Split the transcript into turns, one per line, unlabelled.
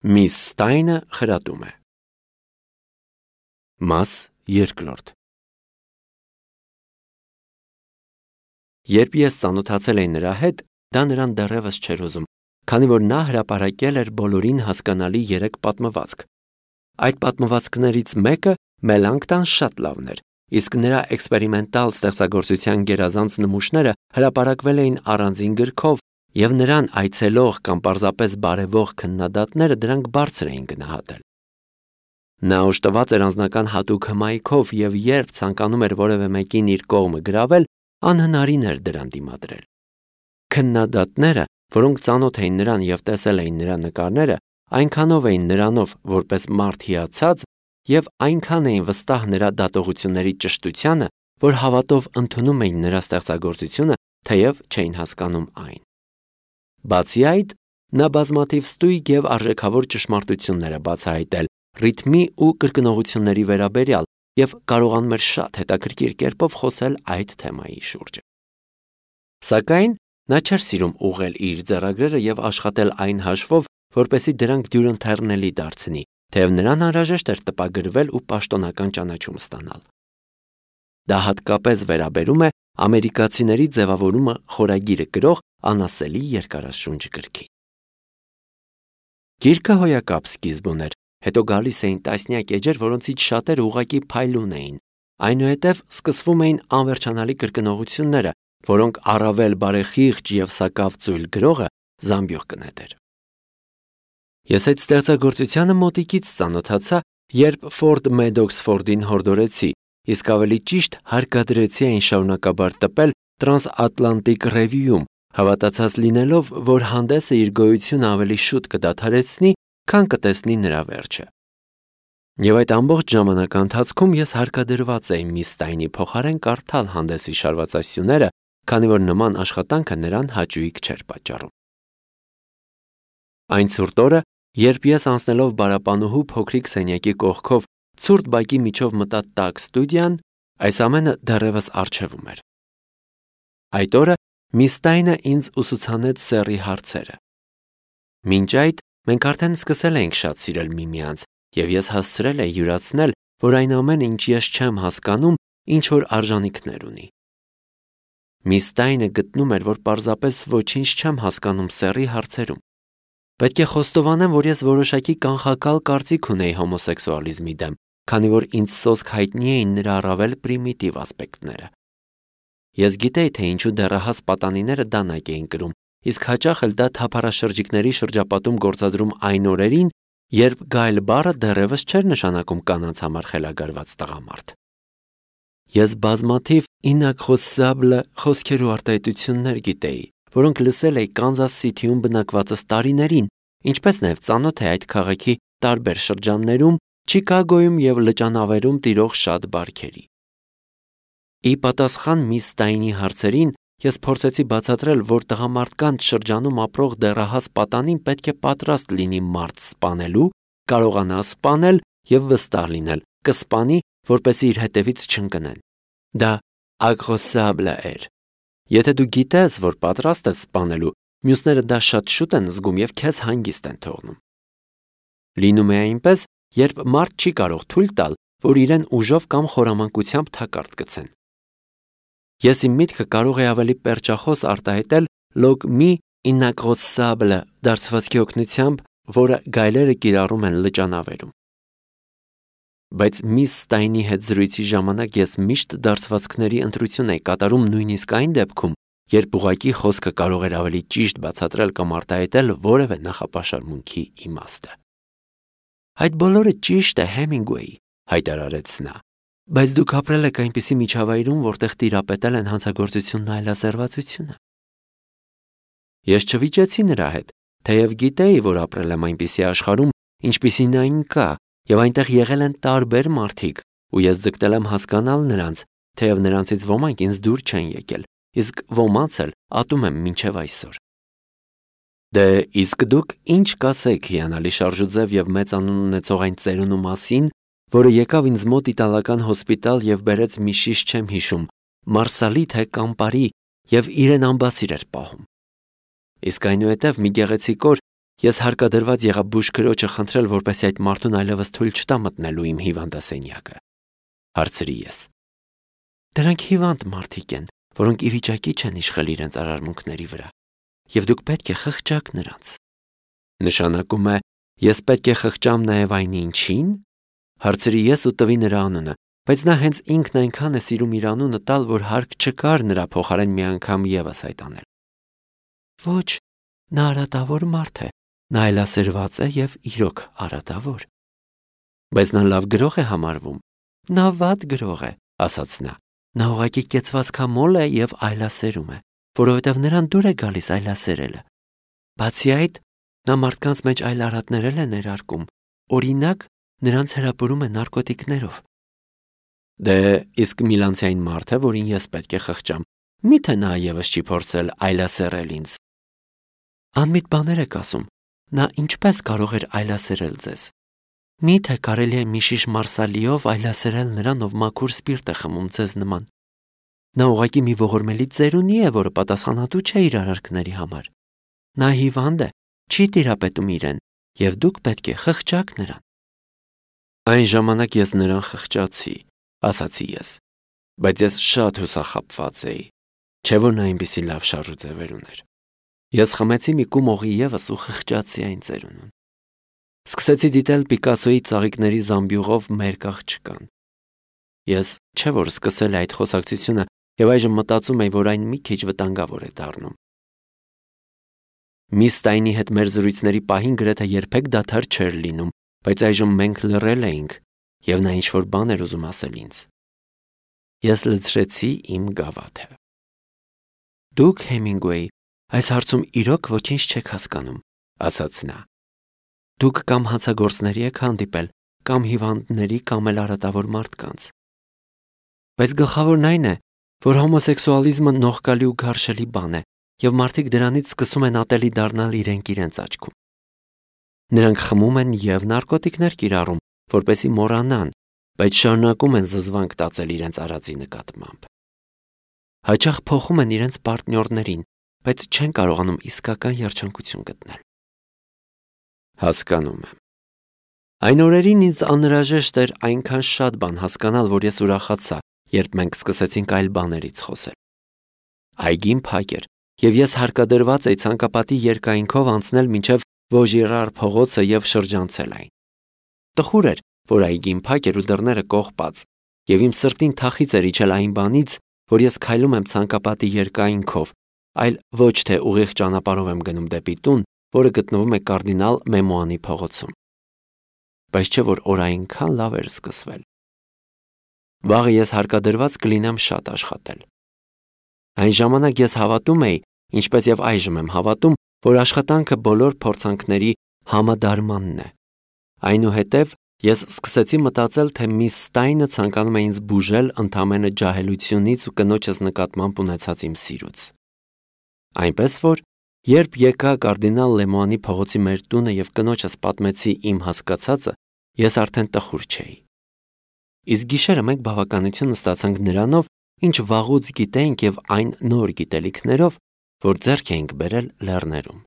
Միս Ստայնը խրատում է։ Մաս երկրորդ։ Երբ ես ծանոթացել էի նրա հետ, դա նրան դեռևս չէր ուզում, քանի որ նա հրապարակել էր բոլորին հասկանալի 3 պատմվածք։ Այդ պատմվածքներից մեկը Մելանկտան շատ լավն էր, իսկ նրա էքսպերիմենտալ ստեղծագործության գերազանց նմուշները հրապարակվել էին առանձին գրքով, և նրան այցելող կամ պարզապես բարևող քննադատները դրանք բարձր էին գնահատել։ Նա օժտված էր անձնական հատուկ հմայքով և երբ ցանկանում էր որևէ մեկին իր կողմը գրավել, անհնարին էր դրան դիմադրել։ Քննադատները, որոնք ծանոթ էին նրան և տեսել էին նրա նկարները, այնքանով էին նրանով որպես մարդ հիացած և այնքան էին վստահ նրա դատողությունների ճշտությանը, որ հավատով ընդունում էին նրա ստեղծագործությունը, թեև չէին հասկանում այն։ Բացի այդ, նա բազմաթիվ ստույգ և արժեքավոր ճշմարտություններ է բացահայտել ռիթմի ու կրկնողությունների վերաբերյալ և կարողանում էր շատ հետաքրքիր կերպով խոսել այդ թեմայի շուրջ։ Սակայն նա չէր սիրում ուղղել իր ձեռագրերը և աշխատել այն հաշվով, որպեսզի դրանք դյուրընթեռնելի դարձնի, թեև նրան անհրաժեշտ էր տպագրվել ու պաշտոնական ճանաչում ստանալ։ Դա հատկապես վերաբերում է ամերիկացիների ձևավորումը խորագիրը կրող անասելի երկարաշունչ գրքի։ Գիրքը հոյակապ սկիզբ ուներ, հետո գալիս էին տասնյակ էջեր, որոնցից շատերը ուղղակի փայլուն էին, այնուհետև սկսվում էին անվերջանալի կրկնողությունները, որոնք առավել բարեխիղճ և սակավ ծույլ գրողը զամբյուղ կնետեր։ Ես այդ ստեղծագործությանը մոտիկից ծանոթացա, երբ Ֆորդ Մեդոքսֆորդին հորդորեցի, իսկ ավելի ճիշտ հարկադրեցի այն շարունակաբար տպել Տրանսատլանտիկ Ռևյուում, հավատացած լինելով, որ հանդեսը իր գոյությունը ավելի շուտ կդադարեցնի, քան կտեսնի նրա վերջը։ Եվ այդ ամբողջ ժամանակի ընթացքում ես հարկադրված էի միս Ստայնի փոխարեն կարդալ հանդեսի շարվածասյուները, քանի որ նման աշխատանքը նրան հաճույք չէր պատճառում։ Այն ցուրտ օրը, երբ ես անցնելով բարապանուհու փոքրիկ սենյակի կողքով ցուրտ բակի միջով մտա տաք ստուդիան, այս ամենը դեռևս առջևում էր։ Այդ օրը միս Ստայնը ինձ ուսուցանեց սեռի հարցերը։ Մինչ այդ մենք արդեն սկսել էինք շատ սիրել միմյանց, և ես հասցրել էի յուրացնել, որ այն ամենը, ինչ ես չեմ հասկանում, ինչ-որ արժանիքներ ունի։ Միս Ստայնը գտնում էր, որ պարզապես ոչինչ չեմ հասկանում սեռի հարցերում։ Պետք է խոստովանեմ, որ ես որոշակի կանխակալ կարծիք ունեի հոմոսեքսուալիզմի դեմ, քանի որ ինձ սոսկ հայտնի էին նրա առավել պրիմիտիվ ասպեկտները։ Ես գիտեի, թե ինչու դեռահաս պատանիները դանակ էին կրում, իսկ հաճախ էլ դա թափառաշրջիկների շրջապատում գործադրում այն օրերին, երբ գայլ բառը դեռևս չէր նշանակում կանանց համար խելագարված տղամարդ։ Ես բազմաթիվ ինակխոսաբլը խոսքեր ու արտահայտություններ գիտեի, որոնք լսել էի Կանզաս Սիթիում բնակվածս տարիներին, ինչպես նաև ծանոթ էի այդ քաղաքի տարբեր շրջաններում, Չիկագոյում և լճանավերում տիրող շատ բարքերի։ Ի պատասխան միս Ստայնի հարցերին, ես փորձեցի բացատրել, որ տղամարդկանց շրջանում ապրող դեռահաս պատանին պետք է պատրաստ լինի մարդ սպանելու, կարողանա սպանել և վստահ լինել, կսպանի, որպեսզի իր հետևից չընկնեն։ Դա ակխոսաբլը էր։ Եթե դու գիտես, որ պատրաստ ես սպանելու, մյուսները դա շատ շուտ են զգում և քեզ հանգիստ են թողնում։ Լինում է այնպես, երբ մարդ չի կարող թույլ տալ, որ իրեն ուժով կամ խորամանկությամբ թակարդ գցեն։ Ես իմ միտքը կարող էի ավելի պերճախոս արտահայտել լոգ մի ինակխոսաբլը դարձվածքի օգնությամբ, որը գայլերը կիրառում են լճանավերում։ Բայց միս Ստայնի հետ զրույցի ժամանակ ես միշտ դարձվածքների ընտրություն էի կատարում նույնիսկ այն դեպքում, երբ ուղղակի խոսքը կարող էր ավելի ճիշտ բացատրել կամ արտահայտել որևէ նախապաշարմունքի իմաստը։ Այդ բոլորը ճիշտ է, Հեմինգուեյ, հայտարարեց նա, բայց դուք ապրել եք այնպիսի միջավայրում, որտեղ տիրապետել են հանցագործությունն ու այլասերվածությունը։ Ես չվիճեցի նրա հետ, թեև գիտեի, որ ապրել եմ այնպիսի աշխարհում, ինչպիսին այն կա, և այնտեղ եղել են տարբեր մարդիկ, ու ես ձգտել եմ հասկանալ նրանց, թեև նրանցից ոմանք ինձ դուր չեն եկել, իսկ ոմանց էլ ատում եմ մինչև այսօր։ Դե իսկ դուք ինչ կասեք հիանալի շարժուձև և մեծ անուն ունեցող այն ծերունու մասին, որը եկավ ինձ մոտ իտալական հոսպիտալ և բերեց մի շիշ չեմ հիշում, մարսալի թե կամպարի և իրեն ամբասիր էր պահում։ Իսկ այնուհետև մի գեղեցիկ օր Ես հարկադրված եղա բուժքրոջը խնդրել, որպեսզի այդ մարդուն այլևս թույլ չտա մտնելու իմ հիվանդասենյակը, հարցրի ես։ Դրանք հիվանդ մարդիկ են, որոնք ի վիճակի չեն իշխել իրենց արարմունքների վրա, եւ դուք պետք է խղճաք նրանց։ Նշանակում է, ես պետք է խղճամ նաեւ այն ինչին, հարցրի ես ու տվի նրա անունը, բայց նա հենց ինքն այնքան է սիրում իր անունը տալ, որ հարկ չկար նրա փոխարեն մի անգամ եւս այդ անել։ Ոչ, նա արատավոր մարդ է, նա այլասերված է եւ իրոք արատավոր։ Բայց նա լավ գրող է համարվում։ Նա վատ գրող է, ասաց նա։ Նա ուղղակի կեցվածքամոլ է եւ այլասերում է, որովհետեւ նրան դուր է գալիս այլասերելը։ Բացի այդ, նա մարդկանց մեջ այլ արատներ է ներարկում, օրինակ, նրանց հրապուրում է նարկոտիկներով։ Դե իսկ Միլանցիային մարդ է, որին ես պետք է խղճամ, միթե նա եւս չի փորձել այլասերել ինձ։ Անմիտ բաներ եք ասում, նա ինչպես կարող էր այլասերել ձեզ։ Միթե կարելի է մի շիշ մարսալիով այլասերել նրան, ով մաքուր սպիրտ է խմում ձեզ նման։ Նա ուղղակի մի ողորմելի ծերունի է, որը պատասխանատու չէ իր արարքների համար։ Նա հիվանդ է, չի տիրապետում իրեն, եւ դուք պետք է խղճաք նրան։ Այն ժամանակ ես նրան խղճացի, ասացի ես, բայց ես շատ հուսախաբված էի, չէ՞ որ նա այնպիսի լավ շարժուձևեր ուներ։ Ես խմեցի մի կում օղի եւս ու խղճացի այն ծերունուն։ Սկսեցի դիտել Պիկասոյի ծաղիկների զամբյուղով մեր աղջկան։ Ես չէ՞ որ սկսել այդ խոսակցությունը եւ այժմ մտածում եմ, որ այն մի քիչ վտանգավոր է դառնում։ Միս Ստայնի հետ մեր զրույցների պահին գրեթե երբեք դադար չէր լինում, բայց այժմ մենք լռել էինք եւ նա ինչ-որ բան էր ուզում ասել ինձ։ Ես լցրեցի իմ գավաթը։ Դուք, Հեմինգուեյ, այս հարցում իրոք ոչինչ չեք հասկանում, ասաց նա։ Դուք կամ հանցագործների եք հանդիպել, կամ հիվանդների, կամ էլ արատավոր մարդկանց։ Բայց գլխավորն այն է, որ հոմոսեքսուալիզմը նողկալի ու գարշելի բան է, եւ մարդիկ դրանից սկսում են ատելի դառնալ իրենց աչքում։ Նրանք խմում են եւ նարկոտիկներ կիրառում, որպեսզի մոռանան, բայց շարունակում են զզվանք տածել իրենց արածի նկատմամբ։ Հաճախ փոխում են իրենց պարտնյորներին, բայց չեն կարողանում իսկական երջանկություն գտնել։ Հասկանում եմ։ Այն օրերին ինձ անհրաժեշտ էր այնքան շատ բան հասկանալ, որ ես ուրախացա, երբ մենք սկսեցինք այլ բաներից խոսել։ Այգին փակ էր, եւ ես հարկադրված էի ցանկապատի երկայնքով անցնել մինչև Վոժիրար փողոցը եւ շրջանցել այն։ Տխուր էր, որ այգին փակ էր ու դռները կողպած, եւ իմ սրտին թախից էր իջել այն բանից, որ ես քայլում եմ ցանկապատի երկայնքով, այլ ոչ թե ուղիղ ճանապարհով եմ գնում դեպի տուն, որը գտնվում է կարդինալ Մեմուանի փողոցում։ Բայց չէ որ օր այնքան լավ էր սկսվել։ Վաղը ես հարկադրված կլինեմ շատ աշխատել։ Այն ժամանակ ես հավատում էի, ինչպես եւ այժմ եմ հավատում, որ աշխատանքը բոլոր փորձանքների համադարմանն է։ Այնուհետև ես սկսեցի մտածել, թե միս Ստայնը ցանկանում է ինձ բուժել ընդամենը ջահելությունից ու կնոջս նկատմամբ ունեցած իմ սիրուց։ Այնպես որ, երբ եկա կարդինալ Լեմուանի փողոցի մեր տունը եւ կնոջս պատմեցի իմ հասկացածը, ես արդեն տխուր չէի։ Իսկ գիշերը մենք բավականություն ստացանք նրանով, ինչ վաղուց գիտեինք եւ այն նոր գիտելիքներով, որ ձեռք էինք բերել լեռներում։